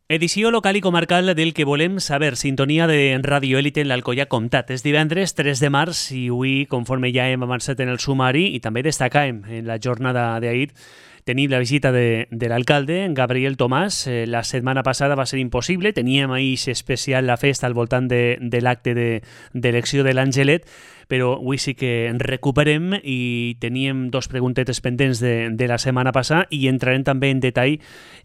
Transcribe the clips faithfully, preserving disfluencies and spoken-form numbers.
Edició local i comarcal del que volem saber. Sintonia de Radio Élite en l'Alcoià Comtat. És divendres tres de març i avui, conforme ja hem avançat en el sumari i també destacàvem en la jornada d'ahir, tenim la visita de, de l'alcalde, Gabriel Tomàs. Eh, la setmana passada va ser impossible. Teníem ahir especial la festa al voltant de, de l'acte d'elecció de, de l'Angelet, però avui sí que en recuperem i teníem dos preguntetes pendents de, de la setmana passada i entrarem també en detall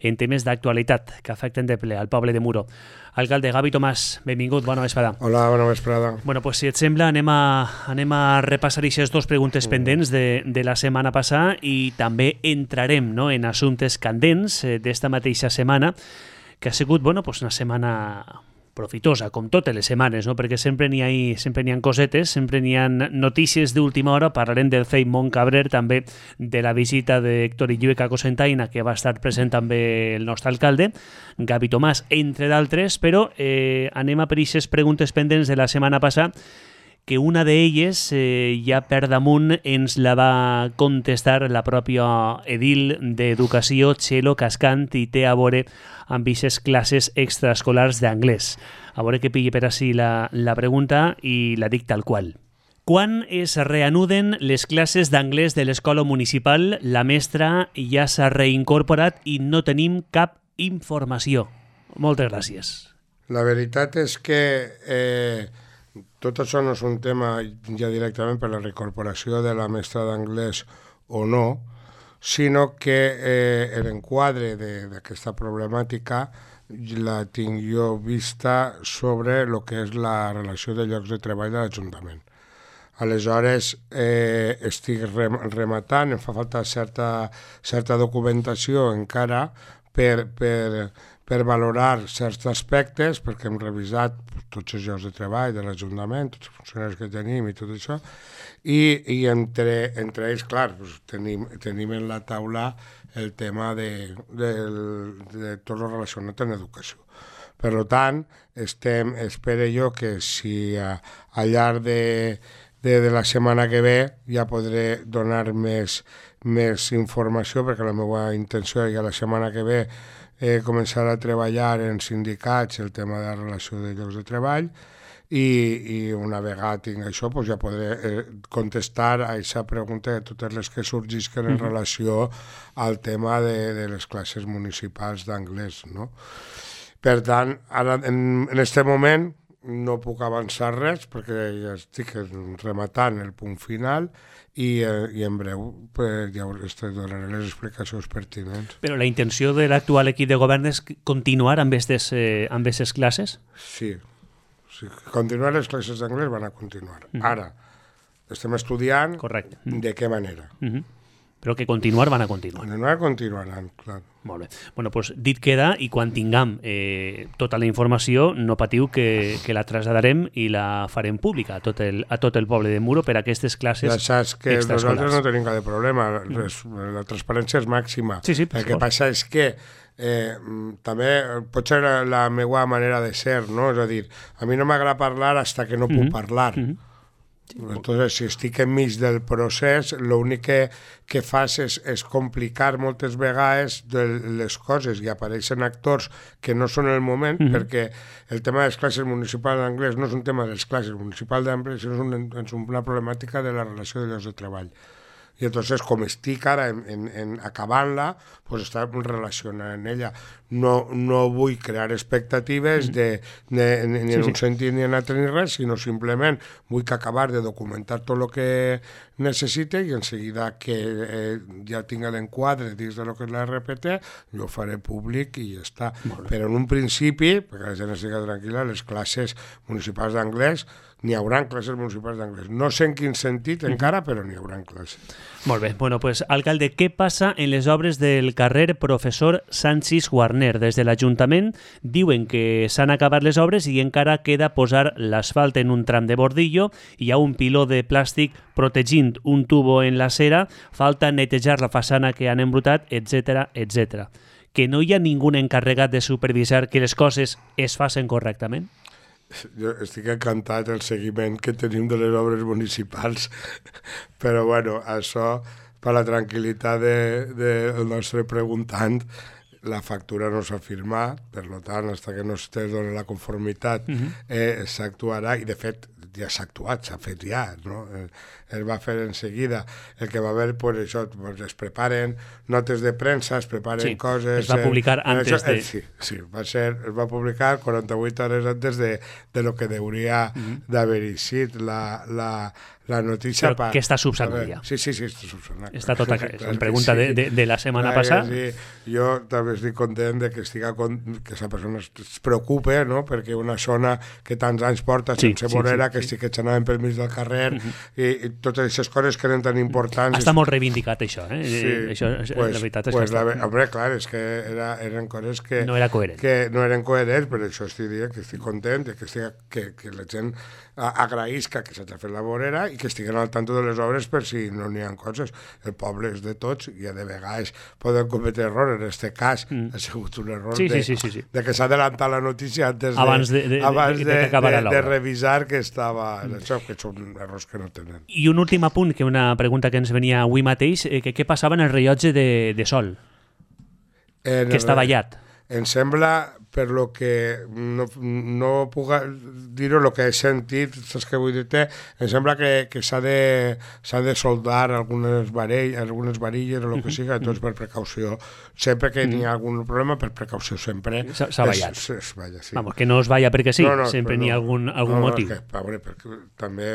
en temes d'actualitat que afecten de ple al poble de Muro. Alcalde Gavi Tomàs, benvingut, bona vesprada. Hola, bona vesprada. Bueno, pues si et sembla, anem a, anem a repassar aquestes dues preguntes pendents de, de la setmana passada i també entrarem, no, en assumptes candents eh, d'esta mateixa setmana, que ha sigut, bueno, pues una setmana profitosa, com totes les setmanes, no? Perquè sempre n'hi ha, sempre n'hi ha cosetes, sempre n'hi ha notícies d'última hora. Parlarem del C E I Montcabrer, també de la visita d'Héctor Illueca a Cocentaina, que va estar present també el nostre alcalde, Gavi Tomàs, entre d'altres, però eh, anem a per aquestes preguntes pendents de la setmana passada, que una d'elles eh, ja per damunt ens la va contestar la pròpia edil d'Educació, Txelo Cascant, i té a veure amb aquestes classes extraescolars d'anglès. A veure que pilli per ací la, la pregunta i la dic tal qual. Quan es reanuden les classes d'anglès de l'escola municipal? La mestra ja s'ha reincorporat i no tenim cap informació. Moltes gràcies. La veritat és que eh, tot això no és un tema ja directament per la reincorporació de la mestra d'anglès o no, sinó que eh, l'enquadre d'aquesta problemàtica la tinc jo vista sobre el que és la relació de llocs de treball de l'Ajuntament. Aleshores, eh, estic rematant, em fa falta certa, certa documentació encara per, per, per valorar certs aspectes, perquè hem revisat tots els llocs de treball de l'Ajuntament, tots els funcionaris que tenim i tot això, i, i entre, entre ells, clar, doncs, tenim, tenim en la taula el tema de, de, de tot el relacionat amb l'educació. Per tant, estem, espero jo que si a, al llarg de, de, de la setmana que ve ja podré donar més, més informació, perquè la meva intenció és que la setmana que ve eh, començar a treballar en sindicats el tema de la relació de llocs de treball i, i una vegada tinc això doncs ja podré eh, contestar a aquesta pregunta de totes les que sorgisquen en relació al tema de, de les classes municipals d'anglès, no? Per tant, ara en aquest moment no puc avançar res perquè ja estic rematant el punt final i, eh, i en breu pues, ja us donaré les explicacions pertinents. Però la intenció de l'actual equip de govern és continuar amb aquestes eh, amb aquestes classes? Sí, sí, continuar les classes d'anglès van a continuar. Mm-hmm. Ara, estem estudiant. Correcte. De què manera. Mm-hmm. Però que continuar van a continuar. Continuar continuaran, clar. Molt bé. Bueno, doncs dit queda, i quan tinguem eh, tota la informació, no patiu que, que la traslladarem i la farem pública a tot el, a tot el poble de Muro per a aquestes classes extraescolars. Ja saps que nosaltres no tenim cap problema, mm. la transparència és màxima. Sí, sí, el que passa és que eh, també pot ser la, la meva manera de ser, no? És a dir, a mi no m'agrada parlar fins que no puc mm-hmm. parlar. Mm-hmm. Entonces, si estic enmig del procés, l'únic que, que fas és, és complicar moltes vegades de les coses i apareixen actors que no són el moment, mm-hmm. perquè el tema de les classes municipals d'anglès no és un tema de les classes municipals d'anglès, sinó és, un, és una problemàtica de la relació de llocs de treball. I entonces, com estic ara en, en, en acabant-la, pues està relacionant en ella. No, no vull crear expectatives de, de, ni en sí, un sí. sentit ni en altre ni res, sinó simplement vull que acabar de documentar tot el que necessite i en seguida que eh, ja tinga l'enquadre dins de lo que és la R P T, jo ho faré públic i ja està. Però en un principi, perquè la gent estigui tranquil·la, les classes municipals d'anglès n'hi haurà classes municipals d'anglès. No sé en quin sentit encara, però n'hi haurà classes. Molt bé. Bueno, pues, alcalde, què passa en les obres del carrer Professor Sanchis Guarner? Des de l'Ajuntament diuen que s'han acabat les obres i encara queda posar l'asfalt en un tram de bordillo, hi ha un piló de plàstic protegint un tubo en la cera, falta netejar la façana que han embrutat, etcètera, etcètera. Que no hi ha ningú encarregat de supervisar que les coses es facin correctament? Jo estic encantat del seguiment que tenim de les obres municipals, però bueno, això per la tranquil·litat del de, de nostre preguntant la factura no s'ha firmat, per tant, fins que no es doni la conformitat, uh-huh. eh, s'actuarà, i de fet ja s'ha actuat, s'ha fet ja, no? Eh, es va fer en seguida. El que va haver, pues, això, pues, es preparen notes de premsa, es preparen sí, coses... Es va publicar eh, antes això, de... Eh, sí, sí, va ser, es va publicar quaranta-vuit hores antes de, de lo que hauria uh-huh. d'haver eixit la, la, la notícia. Però pa, que està subsanat ja. Sí, sí, sí, està subsanat. Està tota, és una pregunta sí. de, de, de la setmana clar, passada. Sí. Jo també estic content de que estiga con, que esa persona es preocupe, no? Perquè una zona que tants anys porta sí, sense sí, vorera, sí, que sí. sí que s'anaven pel mig del carrer, uh-huh. i, i totes aquestes coses que eren tan importants. Està molt reivindicat això, eh? Sí, això pues, la veritat és pues que la, està... Home, clar, és que era, eren coses que no era coherent. Que no eren coherents, per això estic dient que estic content que, estic, que, que la gent agraïsca que s'ha fet la vorera i que estiguen al tanto de les obres per si no n'hi ha coses. El poble és de tots i de vegades poden cometre errors. En aquest cas mm. ha sigut un error sí, de, sí, sí, sí. de que s'ha adelantat la notícia antes de, abans de, de, abans de, de, de, de, de, de revisar que estava en això, que són errors que no tenen. I un últim apunt, que una pregunta que ens venia avui mateix, eh, que què passava en el rellotge de, de sol, en que el, està ballat. Em sembla, per lo que no, no puc dir-ho, el que he sentit, saps què vull dir-te? Em sembla que, que s'ha de, s'ha de soldar algunes, varell, algunes varilles o el que siga, doncs per precaució. Sempre que n'hi ha algun problema, per precaució sempre. S'ha ballat. Es, es balla, sí. Vamos, que no es balla perquè sí, no, no, sempre n'hi ha no, algun, algun no, no, motiu. Que, veure, perquè també...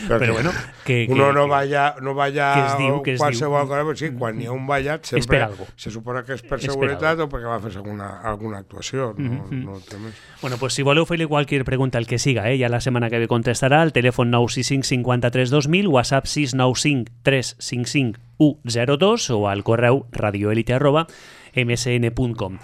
Perquè, però bueno, que... Uno que, no balla, no balla que es diu, que es qualsevol diu. cosa, però sí, quan hi ha un ballat sempre se supone que és per és seguretat per o perquè va fer alguna, alguna actuació, no, mm-hmm. no té més. Bueno, pues si voleu fer-li qualsevol pregunta, el que siga, eh? Ja la setmana que ve contestarà, el telèfon nou sis cinc cinquanta-tres dos mil, WhatsApp sis nou cinc tres cinc cinc u zero dos o al correu radioelite arroba msn punt com.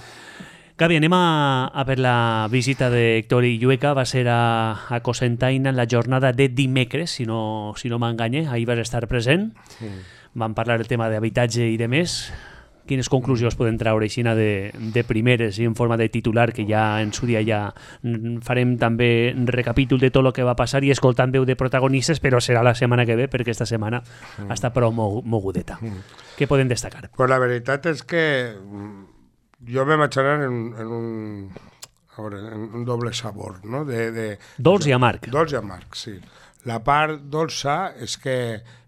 Gavi, anem a, a per la visita d'Héctor Illueca. Va ser a, a Cocentaina en la jornada de dimecres, si no, si no m'enganye. Ahir vas estar present. Mm. Vam parlar del tema d'habitatge i de més. Quines conclusions poden treure així de, de primeres i en forma de titular, que ja en su dia ja farem també recapítol de tot el que va passar i escoltant veu de protagonistes, però serà la setmana que ve, perquè esta setmana mm. està prou mogudeta. Mm. Què podem destacar? Pues la veritat és que jo me vaig anar en, en, un, a veure, en un doble sabor, no? De, de, dolç i amarg. Dolç i amarg, sí. La part dolça és que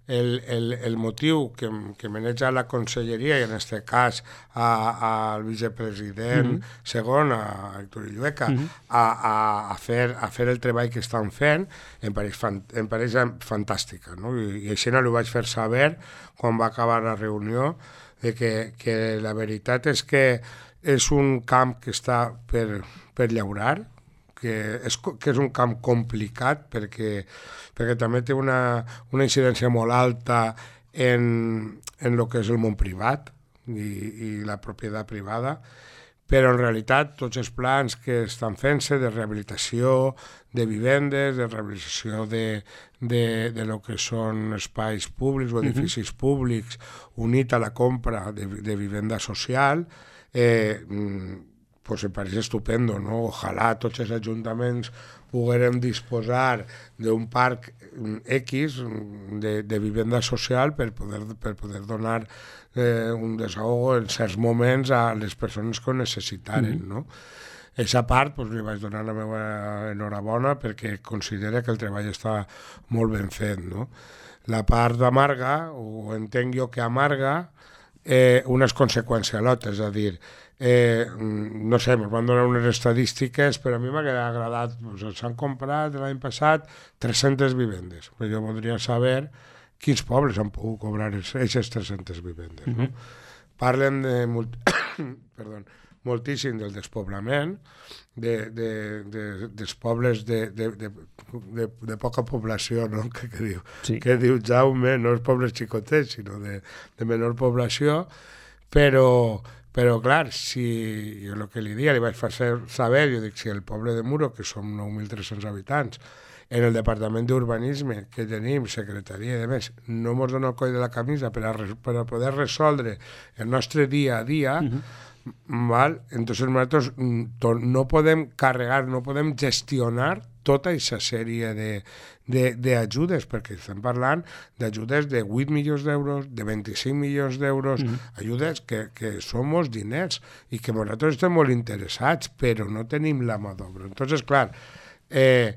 el, el, el motiu que, que maneja la conselleria, i en aquest cas al vicepresident mm-hmm. segon, a Héctor Illueca, mm-hmm. a, a, a, fer, a fer el treball que estan fent, em pareix, fan, em pareix fantàstica. No? I, i així no ho vaig fer saber quan va acabar la reunió, de que, que la veritat és que és un camp que està per, per llaurar, que és, que és un camp complicat perquè, perquè també té una, una incidència molt alta en, en el que és el món privat i, i la propietat privada, però en realitat tots els plans que estan fent-se de rehabilitació de vivendes, de rehabilitació de, de, de lo que són espais públics o edificis uh-huh. públics unit a la compra de, de vivenda social, eh, pues em pareix estupendo, no? Ojalà tots els ajuntaments poguérem disposar d'un parc X de, de vivenda social per poder, per poder donar eh, un desahogo en certs moments a les persones que ho necessitaren, mm-hmm. no? Aquesta part pues, li vaig donar la meva enhorabona perquè considera que el treball està molt ben fet, no? La part amarga, o entenc jo que amarga, eh, unes conseqüencialotes, és a dir, eh, no sé, ens van donar unes estadístiques, però a mi m'ha agradat, pues, s'han comprat l'any passat tres-centes vivendes, però jo voldria saber quins pobles han pogut cobrar aquestes tres-centes vivendes. No? Mm-hmm. Parlen de molt... Perdó, moltíssim del despoblament, de, de, de, dels pobles de, de, de, de, de poca població, no? que, que, diu, sí. que diu Jaume, no els pobles xicotets, sinó de, de menor població, però, però clar, si jo el que li dia li vaig fer saber, jo dic, si el poble de Muro, que som nou mil tres-cents habitants, en el departament d'urbanisme que tenim, secretaria i demés, no ens dona el coll de la camisa per a, per a poder resoldre el nostre dia a dia, uh-huh. val? Entonces nosaltres no podem carregar, no podem gestionar tota aquesta sèrie d'ajudes, perquè estem parlant d'ajudes de vuit milions d'euros, de vint-i-cinc milions d'euros, mm. ajudes que, que són molts diners i que nosaltres estem molt interessats, però no tenim la mà d'obra. Entonces, clar, eh,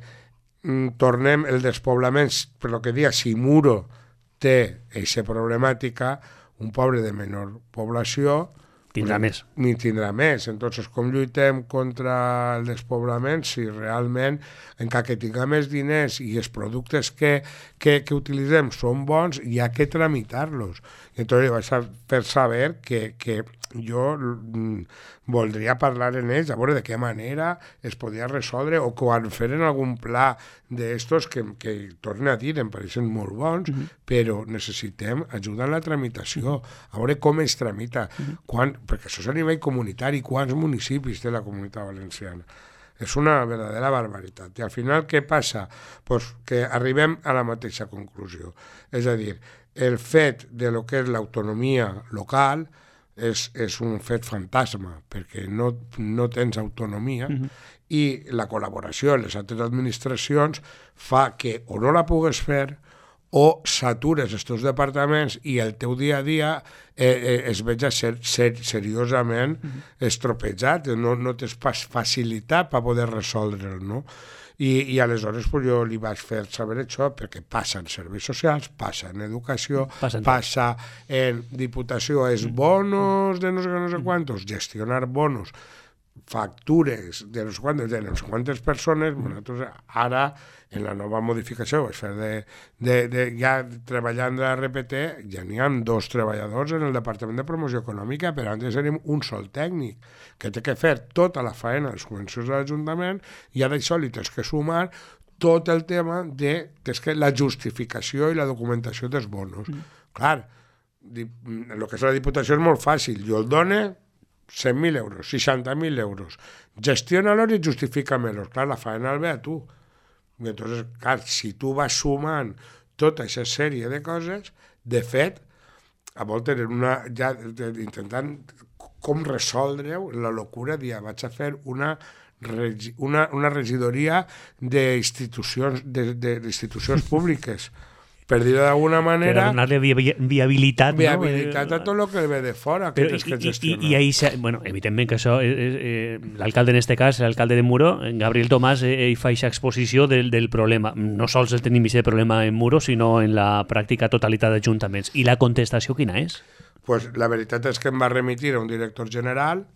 tornem el despoblament, per lo que dia, si Muro té aquesta problemàtica, un poble de menor població tindrà més. Ni tindrà més. Entonces, com lluitem contra el despoblament si realment, encara que tinguem més diners i els productes que, que, que utilitzem són bons, hi ha que tramitar-los. I entonces vaig fer saber que, que jo voldria parlar en ells, a veure de què manera es podia resoldre o quan feren algun pla d'estos que, que torne a dir, em pareixen molt bons, uh-huh. però necessitem ajuda en la tramitació, a veure com es tramita, uh-huh. quan, perquè això és a nivell comunitari, quants municipis té la Comunitat Valenciana. És una verdadera barbaritat. I al final què passa? Pues que arribem a la mateixa conclusió. És a dir, el fet de lo que és l'autonomia local és, és un fet fantasma, perquè no, no tens autonomia, uh-huh. i la col·laboració amb les altres administracions fa que o no la pugues fer o satures estos departaments i el teu dia a dia eh, eh, es veja ser, ser seriosament uh-huh. estropejat, no, no tens facilitat per poder resoldre'l, no? I, i aleshores pues, jo li vaig fer saber això perquè passa en serveis socials, passa en educació, Passen passa en diputació, és bonos de no sé, no sé quantos, gestionar bonos, factures de no sé quantes, de no sé quantes persones, nosaltres ara en la nova modificació vaig fer de, de, de ja treballant de la R P T, ja n'hi ha dos treballadors en el Departament de Promoció Econòmica, però antes érem un sol tècnic que té que fer tota la faena dels subvencions de l'Ajuntament i a d'això li tens que sumar tot el tema de que la justificació i la documentació dels bonos. Mm. Clar, el que és la Diputació és molt fàcil, jo el dono cent mil euros, seixanta mil euros, gestiona-los i justifica-melos. Clar, la faena el ve a tu. I entonces, clar, si tu vas sumant tota aquesta sèrie de coses, de fet, a voltes una, ja intentant com resoldre-ho, la locura de vaig a fer una, una, una regidoria d'institucions de, de, d'institucions públiques, per dir-ho d'alguna manera... Per donar-li vi viabilitat, viabilitat no? a tot el que ve de fora, que Però, tens que i, gestionar. I, i ahí, bueno, evidentment que això, eh, eh, l'alcalde en este cas, l'alcalde de Muro, Gabriel Tomàs, eh, ell fa aquesta exposició del, del problema. No sols el tenim aquest problema en Muro, sinó en la pràctica totalitat d'ajuntaments. I la contestació quina és? Pues la veritat és que em va remitir a un director general,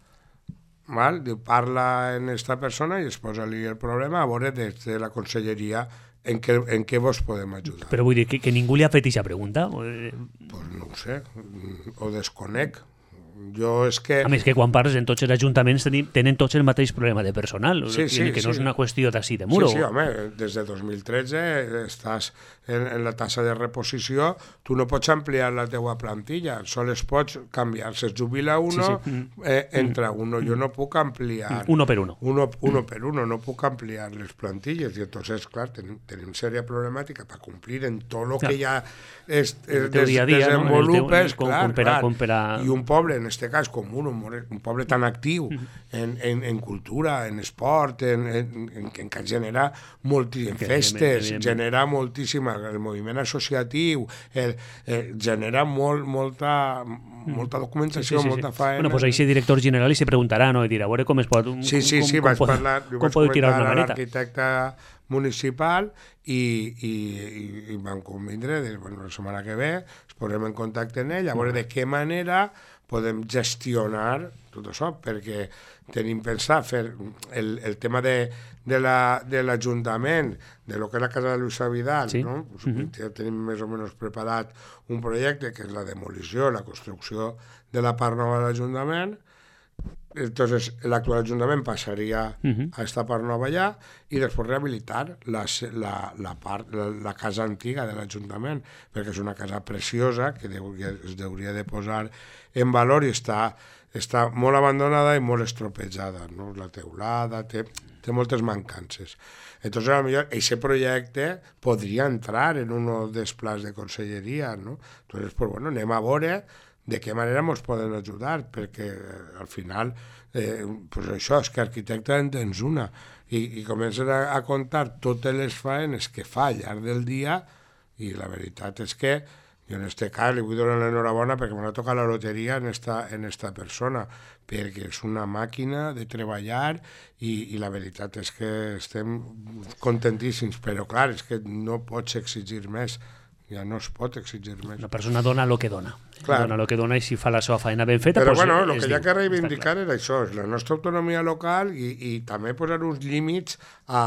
val? Diu, parla en esta persona i es posa-li el problema a veure des de la conselleria en què, en què vos podem ajudar. Però vull dir que, que ningú li ha fet aquesta pregunta? Pues no ho sé, ho desconec. Jo és que... A més que quan parles en tots els ajuntaments tenen, tenen tots el mateix problema de personal, sí, sí, que no sí. és una qüestió d'ací de Muro. Sí, sí, home, des de dos mil tretze estàs en, en la tassa de reposició, tu no pots ampliar la teua plantilla, sols pots canviar. Si es jubila uno, sí, sí. Eh, entra uno. Jo no puc ampliar... Uno per uno. Uno, uno per uno, no puc ampliar les plantilles. I entonces, clar, tenim, tenim sèria problemàtica per complir en tot el que ja es, es des, dia dia, desenvolupes, no? clar, clar. A... I un poble, en este cas, com un, un poble tan actiu en, en, en cultura, en esport, en, en, en, en que genera moltíssimes festes, genera moltíssima, el moviment associatiu, el, el, genera molt, molta, molta documentació, sí, sí, sí, molta faena. Bueno, pues aquest director general i se preguntarà, no? I dirà, a veure com es pot... Un, sí, sí, com, sí, com, vaig com parlar, com vaig pot tirar una comentar a maneta. l'arquitecte municipal i, i, i, i van convindre, de, bueno, la setmana que ve es posem en contacte amb ell, a veure de què manera podem gestionar tot això, perquè tenim pensat fer el, el tema de, de l'Ajuntament, la, de lo que és la casa de Luisa Vidal, sí. no? Pues, uh-huh. ja tenim més o menys preparat un projecte que és la demolició, la construcció de la part nova de l'Ajuntament. Entonces l'actual Ajuntament passaria uh-huh. a esta part nova allà i després rehabilitar la, la, la, part, la, la casa antiga de l'Ajuntament, perquè és una casa preciosa que deu, es hauria de posar en valor i està, està molt abandonada i molt estropejada, no? La teulada té, té moltes mancances. Entonces, a lo mejor, ese projecte podria entrar en un dels plans de conselleria, no? Entonces, pues bueno, anem a veure de què manera ens poden ajudar, perquè al final eh, pues això és que arquitecte en tens una i, i comences a, a contar totes les faenes que fa al llarg del dia i la veritat és que jo en este cas li vull donar l'enhorabona perquè m'ha tocat la loteria en esta, en esta persona, perquè és una màquina de treballar i, i la veritat és que estem contentíssims, però clar, és que no pots exigir més, ja no es pot exigir més. La persona dona el que dona. Clar. Dona el que dona i si fa la seva feina ben feta... Però pues, bueno, el que hi ha diu, que reivindicar era això, és la nostra autonomia local i, i també posar uns límits a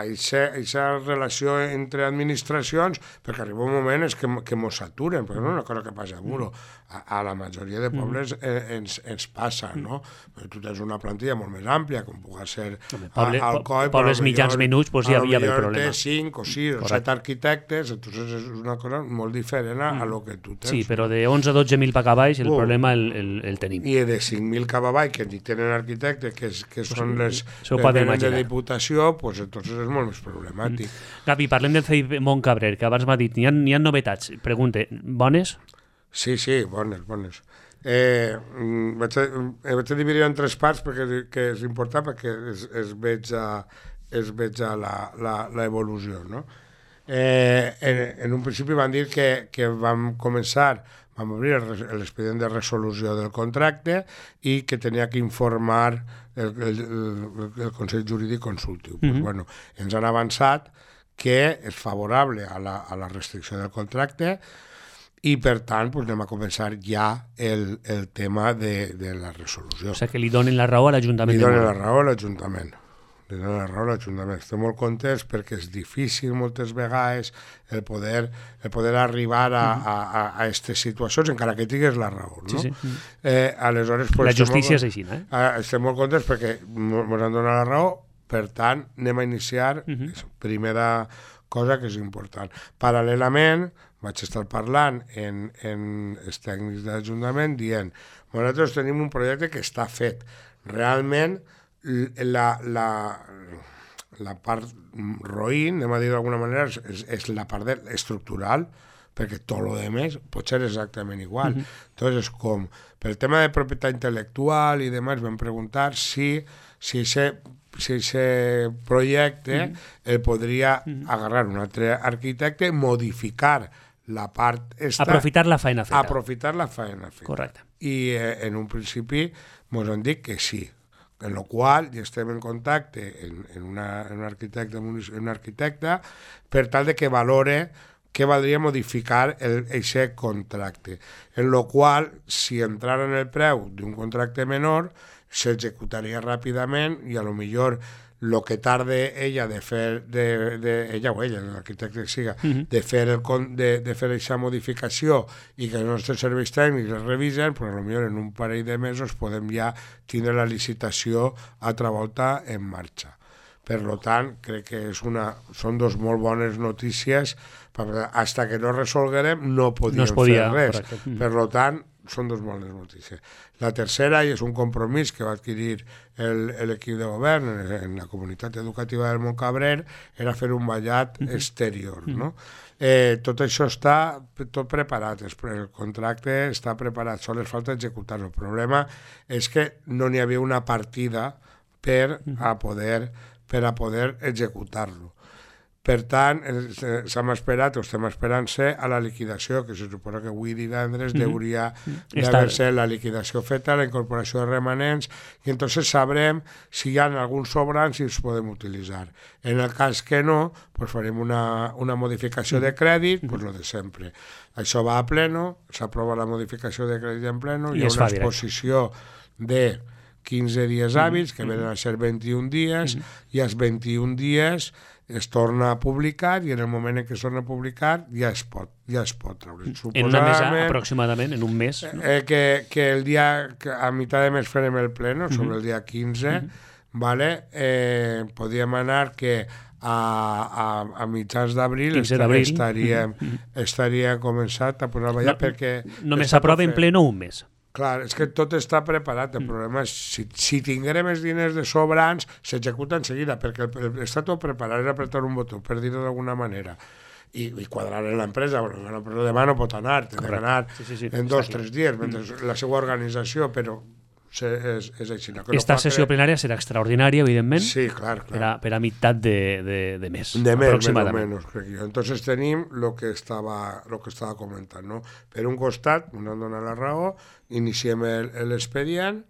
aquesta relació entre administracions, perquè arriba un moment és que, que mos saturen, perquè no és una cosa que passa a Muro. A, a la majoria de pobles eh, ens, ens passa, no? Però tu tens una plantilla molt més àmplia, com pugui ser Home, poble, al C O I, pobles mitjans menuts, pues ja hi havia el problema. Té cinc o sis o set arquitectes, entonces és una cosa molt diferent a, a lo que tu tens. Sí, però de onze a dotze mil per cap baix el uh, problema el, el, el tenim. I de cinc mil cap avall, que ni tenen arquitectes, que, que són les que venen de Diputació, pues entonces és molt més problemàtic. Mm. Gavi, parlem del C I Montcabrer, que abans m'ha dit, n'hi ha, n'hi ha novetats. Pregunte, bones? Sí, sí, bones, bones. Eh, vaig, a, eh, vaig a dividir en tres parts perquè que és important perquè es, es veig a, es veig a l'evolució, no? Eh, en, en un principi van dir que, que vam començar, vam obrir l'expedient de resolució del contracte i que tenia que informar el, el, el, el Consell Jurídic Consultiu. Mm-hmm. Pues, bueno, ens han avançat que és favorable a la, a la restricció del contracte i, per tant, pues, anem a començar ja el, el tema de, de la resolució. O sigui, que li donen la raó a l'Ajuntament. Li donen la raó a l'Ajuntament. Li donen la raó a l'Ajuntament. Estem molt contents perquè és difícil moltes vegades el poder, el poder arribar a aquestes situacions, encara que tinguis la raó. No? Sí, sí. Eh, aleshores, pues, la justícia molt, és així, eh? Estem molt contents perquè ens han donat la raó, per tant, anem a iniciar uh-huh. primera cosa que és important. Paral·lelament, vaig estar parlant en, en els tècnics de l'Ajuntament dient, nosaltres tenim un projecte que està fet. Realment, la, la, la part roïn, anem a dir d'alguna manera, és, és la part de, estructural, perquè tot el que més pot ser exactament igual. Uh-huh. Entonces, com per el tema de propietat intel·lectual i demás, vam preguntar si si ese si ese projecte uh-huh. el podria uh-huh. agarrar un altre arquitecte, modificar la part esta... Aprofitar la feina feta. Aprofitar la feina feta. Correcte. I eh, en un principi ens han dit que sí, en la qual ja estem en contacte en, en, una, en un arquitecte, un arquitecte per tal de que valore que valdria modificar aquest contracte, en la qual, si entrara en el preu d'un contracte menor, s'executaria ràpidament i a lo millor el que tarde ella de fer, de, de, ella o ella, l'arquitecte que siga, uh-huh. de fer el, de, de fer aquesta modificació i que els nostres serveis tècnics es revisen, però potser en un parell de mesos podem ja tindre la licitació altra volta en marxa. Per tant, crec que és una, són dos molt bones notícies, perquè fins que no resolguerem no podíem no podia, fer res. Correcte. Per tant, són dos bones notícies. La tercera, i és un compromís que va adquirir l'equip de govern en, en la comunitat educativa del Montcabrer, era fer un ballat uh-huh. exterior. No? Eh, tot això està tot preparat, el contracte està preparat, sols falta executar. El problema és que no n'hi havia una partida per a poder, per a poder executar-lo. Per tant, s'hem esperat, o estem esperant-se a la liquidació, que se suposa que avui divendres mm-hmm. hauria d'haver-se la liquidació feta, la incorporació de remanents, i entonces sabrem si hi ha alguns sobrants i els podem utilitzar. En el cas que no, pues farem una, una modificació de crèdit, pues lo de sempre. Això va a pleno, s'aprova la modificació de crèdit en pleno, hi ha una exposició de quinze dies hàbils, que venen a ser vint-i-un dies, i als vint-i-un dies es torna a publicar i en el moment en què es torna a publicar ja es pot, ja es pot treure. En una mesa aproximadament, en un mes. No? Eh, que, que el dia, que a mitjà de mes farem el pleno, sobre uh-huh. el dia quinze, uh-huh. vale? eh, podíem anar que a, a, a mitjans d'abril estaria, uh-huh. estaria començat a posar a ballar no, perquè... Només s'aprova en pleno un mes. Clar, és que tot està preparat. El problema és si, si tinguem els diners de sobrants, s'executa en seguida, perquè el, el, està tot preparat, és apretar un botó, per dir-ho d'alguna manera. i, i quadrar en l'empresa, però l'empresa demà no pot anar, té d'anar sí, sí, sí. en dos o tres dies, mentre mm. la seva organització, però és, és així. No? Esta no sessió que... plenària serà extraordinària, evidentment, sí, clar, clar. Per, a, per a meitat de, de, de mes, de mes, aproximadament. Menys, crec jo. Entonces tenim el que estava, lo que estava comentant. No? Per un costat, no em dona la raó, iniciem l'expedient,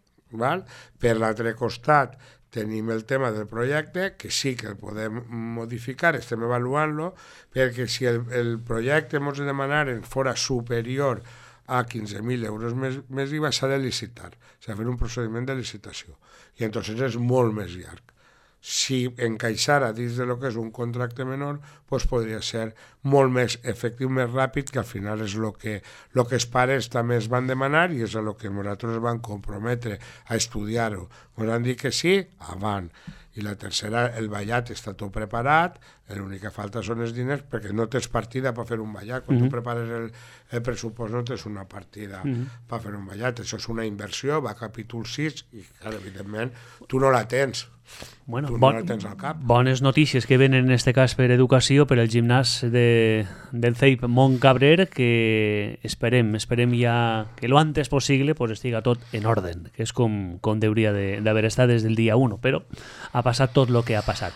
per l'altre costat tenim el tema del projecte, que sí que el podem modificar, estem avaluant-lo, perquè si el, el projecte ens demanaren fora superior a quinze mil euros més, més I V A s'ha de licitar, s'ha de fer un procediment de licitació, i entonces és molt més llarg. Si encaixara dins de lo que és un contracte menor, pues podria ser molt més efectiu, més ràpid, que al final és el que, lo que els pares també es van demanar i és el que nosaltres van comprometre a estudiar-ho. Ens han dit que sí, avant. I la tercera, el ballat està tot preparat, l'únic que falta són els diners, perquè no tens partida per fer un ballat. Quan mm-hmm. tu prepares el, el pressupost no tens una partida mm-hmm. per fer un ballat. Això és una inversió, va a capítol sis, i clar, evidentment tu no la tens. Bueno, tu bon, no la tens al cap. Bones notícies que venen en aquest cas per educació, per el gimnàs de, del C E I P Montcabrer, que esperem, esperem ja que lo antes possible pues, estiga tot en orden, que és com, com hauria d'haver estat des del dia u, però ha passat tot el que ha passat.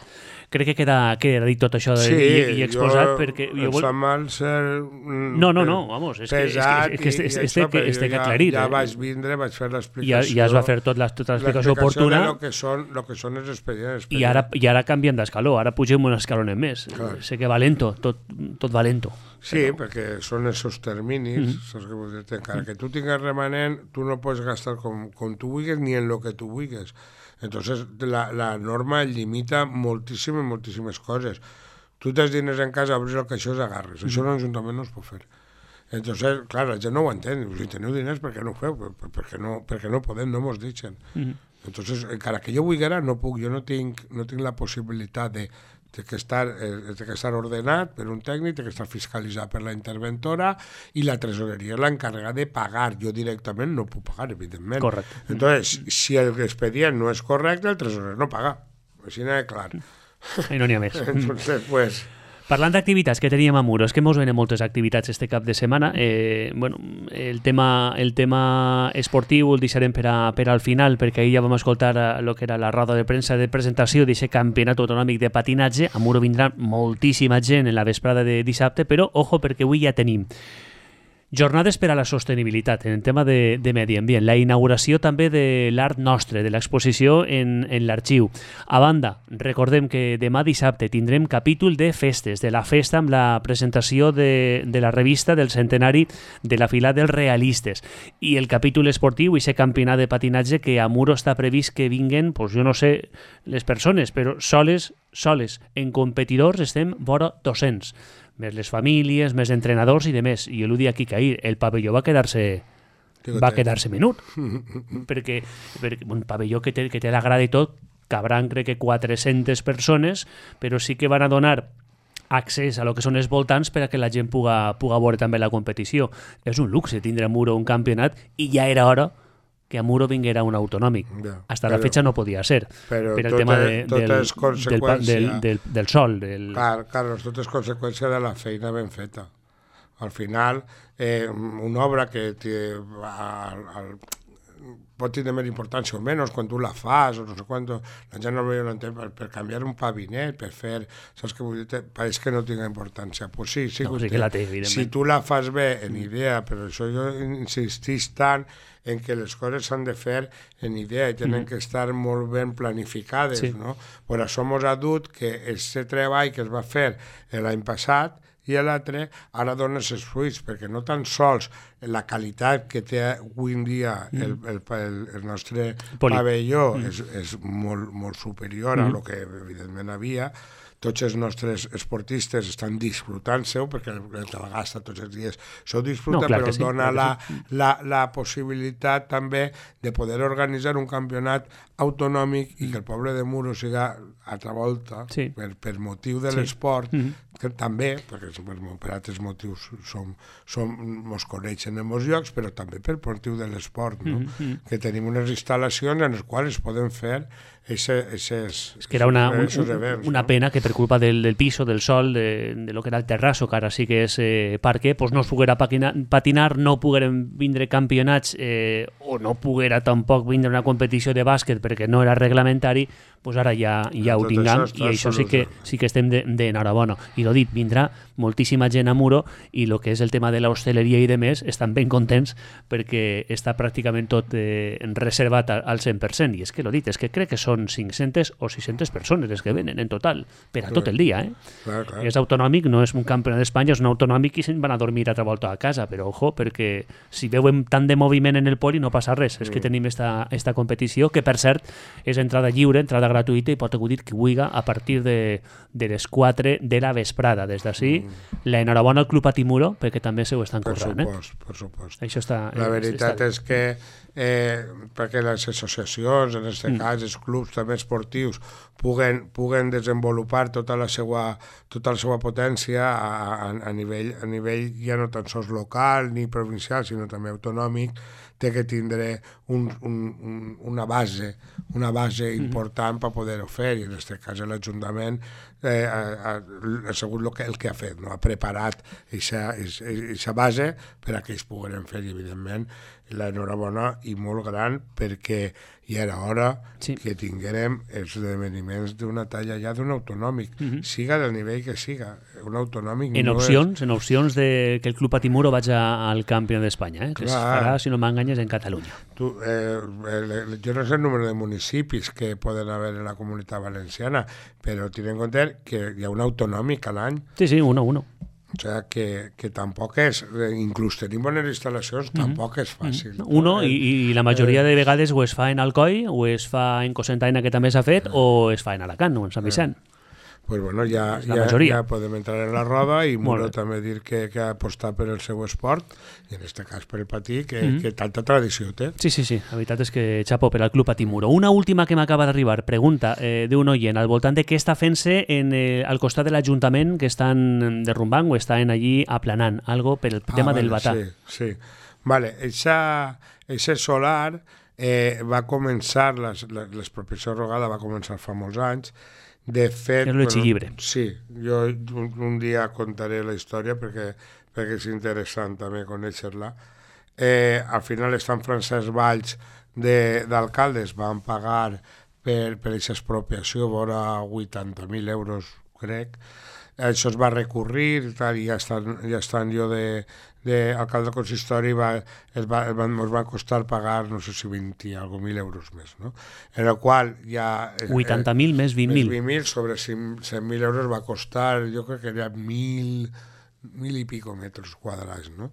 Crec que queda, queda dit tot això de, sí, i, i exposat jo, perquè... Jo vol... em mal ser... No, no, no, vamos, és que, és que, és que este, este, este, que, este que ja, aclarit. Ja eh? vaig vindre, vaig fer l'explicació... Ja, ja es va fer tot la, tota l'explicació oportuna. L'explicació de lo que són, lo que són els expedients. I ara, i ara canvien d'escaló, ara pugem un escalonet més. Clar. Sé que va lento, tot, tot va lento. Sí, però... perquè són esos terminis, mm-hmm. saps què vull dir? Encara que tu tingues remanent, tu no pots gastar com, com tu vulguis ni en lo que tu vulguis. Entonces la, la norma limita moltíssimes, moltíssimes coses. Tu tens diners en casa, obris el caixó i agarres. Mm-hmm. Això l'Ajuntament no es pot fer. Entonces, clar, la gent no ho entén. Si teniu diners, per què no ho feu? Per, per, perquè, no, perquè no podem, no mos deixen. Mm-hmm. Entonces, encara que jo vulguera, no puc. Jo no tinc, no tinc la possibilitat de té que, estar, eh, té que estar ordenat per un tècnic, té que estar fiscalitzat per la interventora i la tresoreria és l'encarregada de pagar. Jo directament no puc pagar, evidentment. Correcte. Entonces, si el expedient no és correcte, el tresorer no paga. Així n'ha clar. I no n'hi ha més. Entonces, pues... Parlant d'activitats que teníem a Muro, és que mos venen moltes activitats este cap de setmana. Eh, bueno, el tema, el tema esportiu el deixarem per, a, per al final, perquè ahir ja vam escoltar el que era la roda de premsa de presentació d'aquest campionat autonòmic de patinatge. A Muro vindrà moltíssima gent en la vesprada de dissabte, però ojo, perquè avui ja tenim jornades per a la sostenibilitat en el tema de, de medi ambient, la inauguració també de l'Art Nostre, de l'exposició en, en l'arxiu. A banda, recordem que demà dissabte tindrem capítol de festes, de la festa amb la presentació de, de la revista del centenari de la fila dels realistes, i el capítol esportiu, i aquest campionat de patinatge que a Muro està previst que vinguen, pues jo no sé les persones, però soles, soles, en competidors estem vora dos-cents. Més les famílies, més entrenadors i de més. I jo l'ho dic aquí que ahir, el pavelló va quedar-se va quedar-se menut. perquè, perquè un pavelló que té, que té la grada i tot, cabran crec que quatre-centes persones, però sí que van a donar accés a lo que són els voltants per a que la gent puga, puga veure també la competició. És un luxe tindre a Muro un campionat i ja era hora que a Muro vinguera un autonòmic. Ja, Hasta però, la fecha no podia ser. Però per el tot tema és, de, tot del, és conseqüència... del, del, del, del sol. Del... Clar, Carlos, tot és conseqüència de la feina ben feta. Al final, eh, una obra que té, al, al, pot tenir més importància o menys quan tu la fas, o no sé quant, la gent no ho entén, per, per canviar un pavinet, per fer... Saps què vull dir? Pareix que no tinga importància. Pues sí, sí, no, sí que la té, evidentment. Si tu la fas bé en idea, però això jo insistís tant en que les coses s'han de fer en idea i tenen mm. que estar molt ben planificades, sí. no? Per això mos ha dut que aquest treball que es va fer l'any passat i l'altre ara dona els fruits, perquè no tan sols la qualitat que té avui en dia mm. el, el, el, el nostre Poli. pavelló mm. és, és molt, molt superior mm. a lo que evidentment havia. Tots els nostres esportistes estan disfrutant-se-ho, perquè el que la gasta tots els dies s'ho disfruta, no, però sí, dona la, sí. la, la possibilitat també de poder organitzar un campionat autonòmic i que el poble de Muro siga altra volta, sí. per, per motiu de sí. l'esport, mm-hmm. que també, perquè per, per altres motius som, som, mos coneixen en molts llocs, però també per motiu de l'esport, no? Mm-hmm. que tenim unes instal·lacions en les quals es poden fer ese, ese es, es que era una, un, esos un, events, una no? pena que per culpa del, del piso, del sol, de, de lo que era el terrasso, que ara sí que és eh, parque, pues no es poguera patinar, patinar no pogueren vindre campionats eh, o no poguera tampoc vindre una competició de bàsquet perquè no era reglamentari, pues ara ja, ja ho tinguem i això sí que, sí que estem d'enhorabona. I l'ho dit, vindrà moltíssima gent a Muro i el que és el tema de l'hostaleria i de més estan ben contents perquè està pràcticament tot eh, reservat al cent per cent. I és que l'ho dit, és que crec que són cinc-centes o sis-centes persones les que venen en total, per a tot el dia. Eh? Clar, clar. És autonòmic, no és un campionat d'Espanya, és un autonòmic i se'n van a dormir altra volta a casa, però ojo, perquè si veuen tant de moviment en el poli no passa res, és que tenim esta, esta competició, que per cert és entrada lliure, entrada gratuïta i pot acudir qui vulgui a partir de, de les quatre de la vesprada. Des d'ací, mm. l'enhorabona al Club Patimuro, perquè també se ho estan per currant. Supost, eh? per supost. Això està, la veritat està... és que eh, perquè les associacions, en aquest mm. cas els clubs també esportius, puguen, puguen desenvolupar tota la seva, tota la seva potència a, a, a, nivell, a nivell ja no tan sols local ni provincial, sinó també autonòmic, té que tindre un, un, un, una base, una base important mm-hmm. per poder-ho fer, i en aquest cas l'Ajuntament eh, ha, ha sigut el que, el que ha fet, no? Ha preparat aquesta base per a que ells pogueren fer, i evidentment l'enhorabona i molt gran, perquè ja era hora sí. que tinguérem els esdeveniments d'una talla ja d'un autonòmic, mm-hmm. siga del nivell que siga, un autonòmic en no opcions, és... en opcions de que el Club Patimuro vagi al campió d'Espanya, eh? que es farà, si no m'enganyes, en Catalunya. Tu, eh, el, jo no sé el número de municipis que poden haver en la Comunitat Valenciana, però ten en compte que hi ha un autonòmic a l'any. Sí, sí, uno, uno. O sigui que, que tampoc és, inclús tenim bones instal·lacions, mm-hmm. tampoc és fàcil. Mm-hmm. Uno, eh, i, i la majoria eh, de vegades o es fa en Alcoi, o es fa en Cocentaina, que també s'ha fet, eh, o es fa en Alacant, o en Sant Vicent. Eh. Pues bueno, ja, ja, ja podem entrar en la roda i Muro també dir que, que ha apostat per el seu esport, i en aquest cas per el patí, que, mm-hmm. que tanta tradició té. Sí, sí, sí, la veritat és que xapó per al Club Patí Muro. Una última que m'acaba d'arribar, pregunta eh, d'un oient al voltant de què està fent-se en, eh, al costat de l'Ajuntament, que estan derrumbant o estan allí aplanant, algo per el ah, tema vale, del batà. Sí, sí. Vale, eixa solar eh, va començar, les, l'expropiació rogada va començar fa molts anys. De fet, és bueno, sí, jo un, un dia contaré la història perquè, perquè és interessant també conèixer-la. Eh, al final els Sant Francesc Valls d'alcaldes van pagar per, per aquesta expropiació vora vuitanta mil euros, crec. Això es va recurrir, tal, i ja estan, ja estan jo de, de alcalde del consistori, va, es va, es van, ens va costar pagar, no sé si vint i algo mil euros més, no? En el qual ja... vuitanta mil eh, més vint mil. vint mil sobre cent mil euros va costar, jo crec que era mil, mil i pico metres quadrats, no?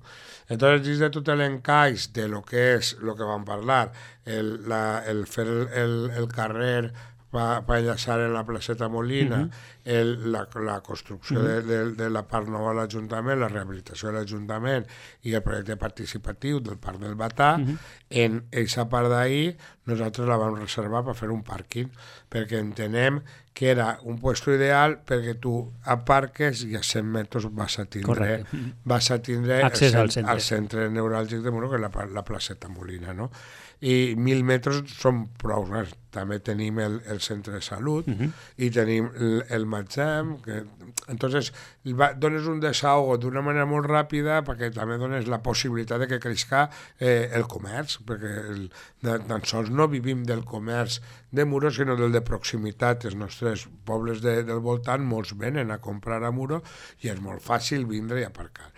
Entonces, dins de tot l'encaix de lo que és, lo que vam parlar, el, la, el fer el, el, el carrer va, va enllaçar en la placeta Molina, uh-huh. el, la, la construcció uh-huh. de, de, de la part nova de l'Ajuntament, la rehabilitació de l'Ajuntament i el projecte participatiu del Parc del Batà, uh-huh. en aquesta part d'ahir nosaltres la vam reservar per fer un pàrquing, perquè entenem que era un puesto ideal perquè tu aparques i a cent metres vas a tindre, vas a tindre accés el, al centre. al centre neuràlgic de Muro, que és la, la placeta Molina, no? I mil metres són prou, eh? També tenim el, el centre de salut uh-huh. i tenim el, el Matzem, que entonces va, dones un desahogo d'una manera molt ràpida perquè també dones la possibilitat de que creixca eh, el comerç, perquè el, tan sols no vivim del comerç de Muro, sinó del de proximitat. Els nostres pobles de, del voltant molts venen a comprar a Muro i és molt fàcil vindre i aparcar.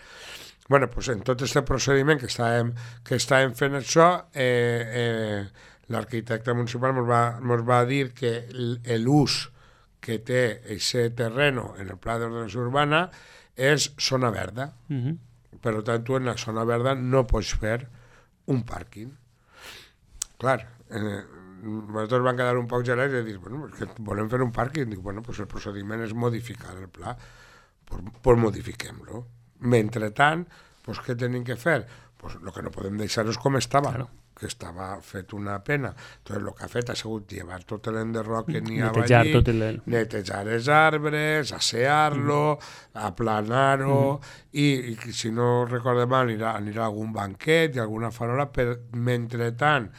Bueno, pues en tot aquest procediment que estàvem, que estàvem fent això, eh, eh, l'arquitecte municipal ens va, ens va dir que l'ús que té aquest terreno en el pla d'ordenació urbana és zona verda. Uh-huh. Per tant, tu en la zona verda no pots fer un pàrquing. Clar, eh, nosaltres vam quedar un poc gelats i dir, bueno, que volem fer un pàrquing. Dic, bueno, pues el procediment és modificar el pla, pues, pues modifiquem-lo. Mentrestant, pues, què tenim que fer? Pues, el que no podem deixar és com estava, claro. que estava fet una pena. Entonces, el que ha fet ha sigut llevar tot l'enderroc que n'hi havia allí, tot el... netejar els arbres, assear-lo, mm. aplanar-ho, mm. i, i si no recordo mal, anirà, anirà algun banquet i alguna farola, per mentrestant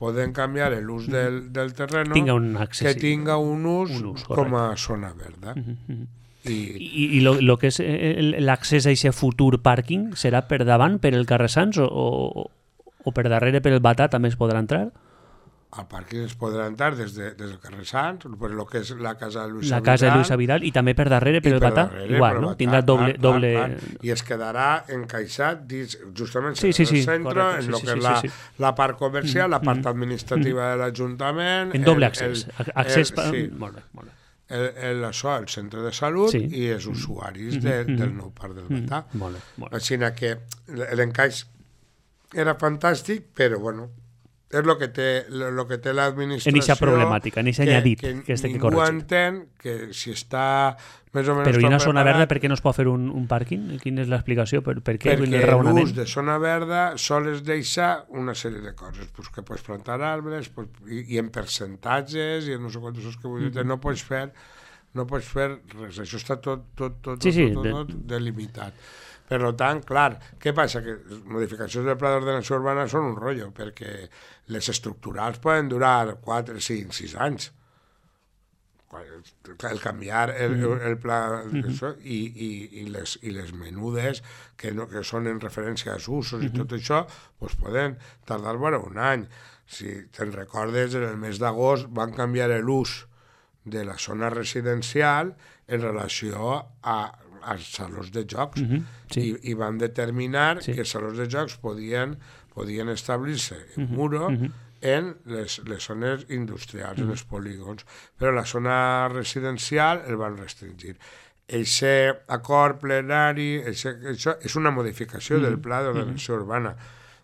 poden canviar l'ús del, del terreno tinga un accés, que tinga un ús, un ús com a zona verda. Uh-huh. I, I, i lo, lo que és l'accés a aquest futur pàrquing serà per davant, per el carrer Sants, o, o, o per darrere, per el Batà, també es podrà entrar? Al pàrquing es podrà entrar des, de, des del carrer Sants, per el que és la casa de Luisa la Vidal. casa de Luisa Vidal, i també per darrere, per el per Batà, darrere, igual, per no? Batà, Tindrà doble... clar, doble... clar, clar. I es quedarà encaixat dins, justament sí, sí, en el sí, centre, correcte, en sí, el sí, que sí, és la, sí, sí. la part comercial, Mm, la part mm, administrativa mm. de l'Ajuntament... En doble el- accés. el- accés el- pa... sí. Molt bé, molt bé. El, el, això, el centre de salut Sí. i els usuaris Mm, de, mm, del mm. nou parc del Mm, Batà. molt bé, molt bé. Així que l'encaix era fantàstic, però bueno, és el que té, lo que té l'administració... En eixa problemàtica, en eixe añadit que, que es té que ningú corregir. entén que si està més o menys Però i una tot zona preparat, verda, per què no es pot fer un, un pàrquing? Quina és l'explicació? Per, per què? Quin és el perquè raonament? l'ús de zona verda sols deixa una sèrie de coses, pues que pots plantar arbres, pues, i, i en percentatges, i en no sé quantos que vull dir, Mm. no pots fer no pots fer res, això està tot, tot, tot, Sí, sí, tot, tot, tot delimitat. Per tant, clar, què passa? Que les modificacions del pla d'ordenació urbana són un rotllo, perquè les estructurals poden durar quatre, cinc, sis anys. El canviar el, el, el pla Mm-hmm. això, i, i, i, les, i les menudes que, no, que són en referència als usos Mm-hmm. i tot això, doncs poden tardar vora un any. Si te'n recordes, en el mes d'agost van canviar l'ús de la zona residencial en relació a, als salons de jocs. Mhm, sí. I, i van determinar Sí. que els salons de jocs podien, podien establir-se en Mhm, muro mhm. en les, les zones industrials, en els polígons, però la zona residencial el van restringir. Eixe acord plenari, eixe, això és una modificació del pla d'ordenació urbana.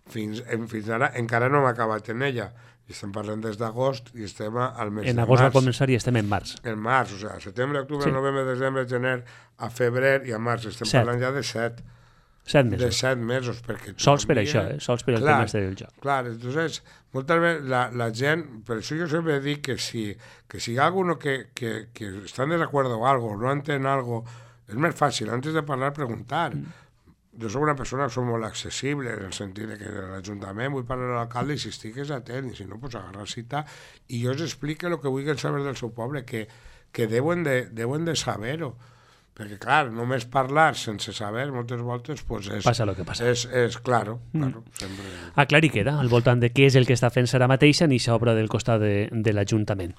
Fins, en, fins ara encara no hem acabat en ella. I estem parlant des d'agost i estem al mes En de agost va març. començar i estem en març. En març, o sigui, setembre, octubre, Sí. novembre, desembre, gener, a febrer i a març. Estem Set. parlant ja de set. Set De mesos. set mesos. Perquè Sols per canvia- això, eh? Sols per el Clar, tema este del joc. Clar, entonces, moltes vegades la, la gent, per això jo sempre dic que si, que si hi ha alguno que, que, que està en desacuerdo o algo, no entén algo, és més fàcil, antes de parlar, preguntar. Mm. Jo soc una persona que soc molt accessible, en el sentit de que a l'Ajuntament vull parlar a l'alcalde i si estigues atent, i si no, pues agarrar cita, i jo els explique el que vulguin saber del seu poble, que, que deuen de, deuen de saber-ho. Perquè, clar, només parlar sense saber, moltes voltes, pues és... Passa el que passa. És, és claro, claro, mm. sempre... Aclarir queda al voltant de què és el que està fent ara mateixa en aquesta obra del costat de, de l'Ajuntament.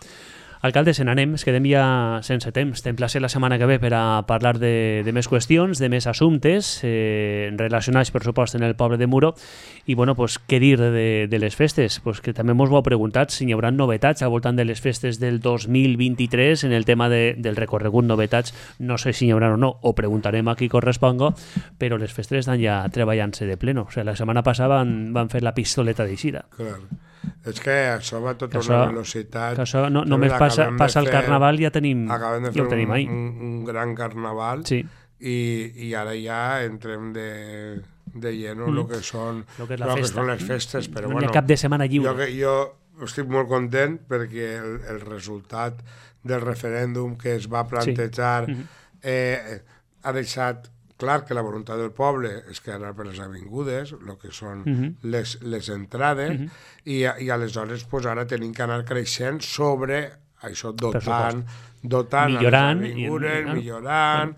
Alcalde, se n'anem, es quedem ja sense temps. T'emplacé la setmana que ve per a parlar de, de més qüestions, de més assumptes eh, relacionats, per supost, en el poble de Muro. I, bueno, pues, què dir de, de les festes? Pues que també mos ho heu preguntat si hi haurà novetats al voltant de les festes del dos mil vint-i-tres en el tema de, del recorregut novetats. No sé si hi haurà o no, ho preguntarem a qui corresponga, però les festes estan ja treballant-se de pleno. O sigui, la setmana passada van, van fer la pistoleta d'eixida. Clar. És que això va tota això, una velocitat. Que això no, només passa, passa el carnaval, ja tenim, acabem de ja fer ho tenim un, ahí. un, un gran carnaval Sí. i, i ara ja entrem de, de lleno Mm. lo que són, Lo que és la lo que festa. són les festes, però No hi bueno, ha cap de setmana lliure. jo, que- jo estic molt content perquè el, el resultat del referèndum que es va plantejar Mhm. eh, ha deixat clar que la voluntat del poble és que anar per les avingudes, el que són Mhm. les, les entrades, Mhm. i, i aleshores pues, ara tenim que anar creixent sobre això, dotant, dotant Millorant, les avingudes, i- millorant,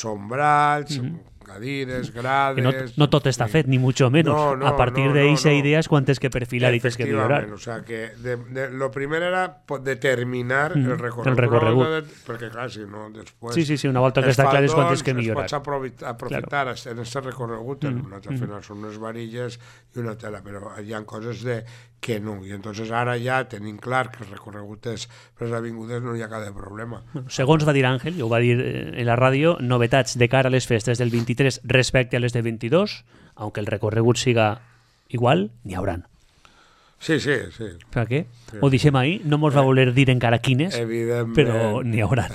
sombrats, cadires, grades... Que no, no tot està fet, ni mucho menos. No, no, a partir no, de no, esa no. idea es cuántas que perfilar y tienes que millorar. Efectivament, o sea que de, de, lo primer era po- determinar Mm, el recorregut. el recorregut. De, perquè clar, si no, després... Sí, sí, sí, una volta que està clar és quantes que millorar. Es pots aprofitar, aprofitar claro. en aquest recorregut, mm, en al final són unes varilles i una tela, però hi ha coses de que no, i entonces ara ja tenim clar que el recorregut és per les avingudes, no hi ha cap de problema. Bueno, segons va dir Àngel, jo ho va dir eh, en la ràdio, novetats de cara a les festes del vint-i-tres respecte a les de vint-i-dos, aunque el recorregut siga igual, n'hi hauran. Sí, sí, sí. Per què? Sí. Ho deixem ahí, no mos va voler dir encara quines, Evidentment. però n'hi hauran.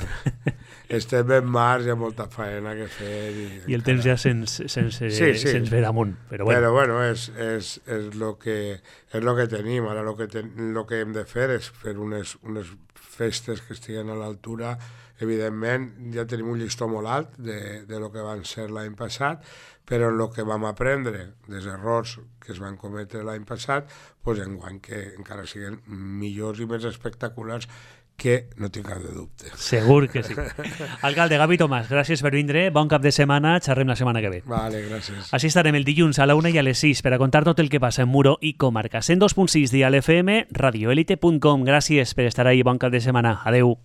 estem ben març, hi ha molta faena que fer. I, I el temps ja se'ns se'ns sí, sí. se'ns ve damunt. Però bueno, però, bueno és, és, és, lo que, és lo que tenim. Ara lo que, ten, lo que hem de fer és fer unes, unes festes que estiguen a l'altura. Evidentment, ja tenim un llistó molt alt de, de lo que van ser l'any passat, però en el que vam aprendre dels errors que es van cometre l'any passat, doncs enguany que encara siguin millors i més espectaculars, que no tinc cap de dubte. Segur que sí. Alcalde Gavi Tomàs, gràcies per vindre, bon cap de setmana, xerrem la setmana que ve. Vale, gràcies. Així estarem el dilluns a la una i a les sis per a contar tot el que passa en Muro i comarca. cent dos punt sis Dial F M, radioelite punt com. Gràcies per estar ahí, bon cap de setmana. Adeu.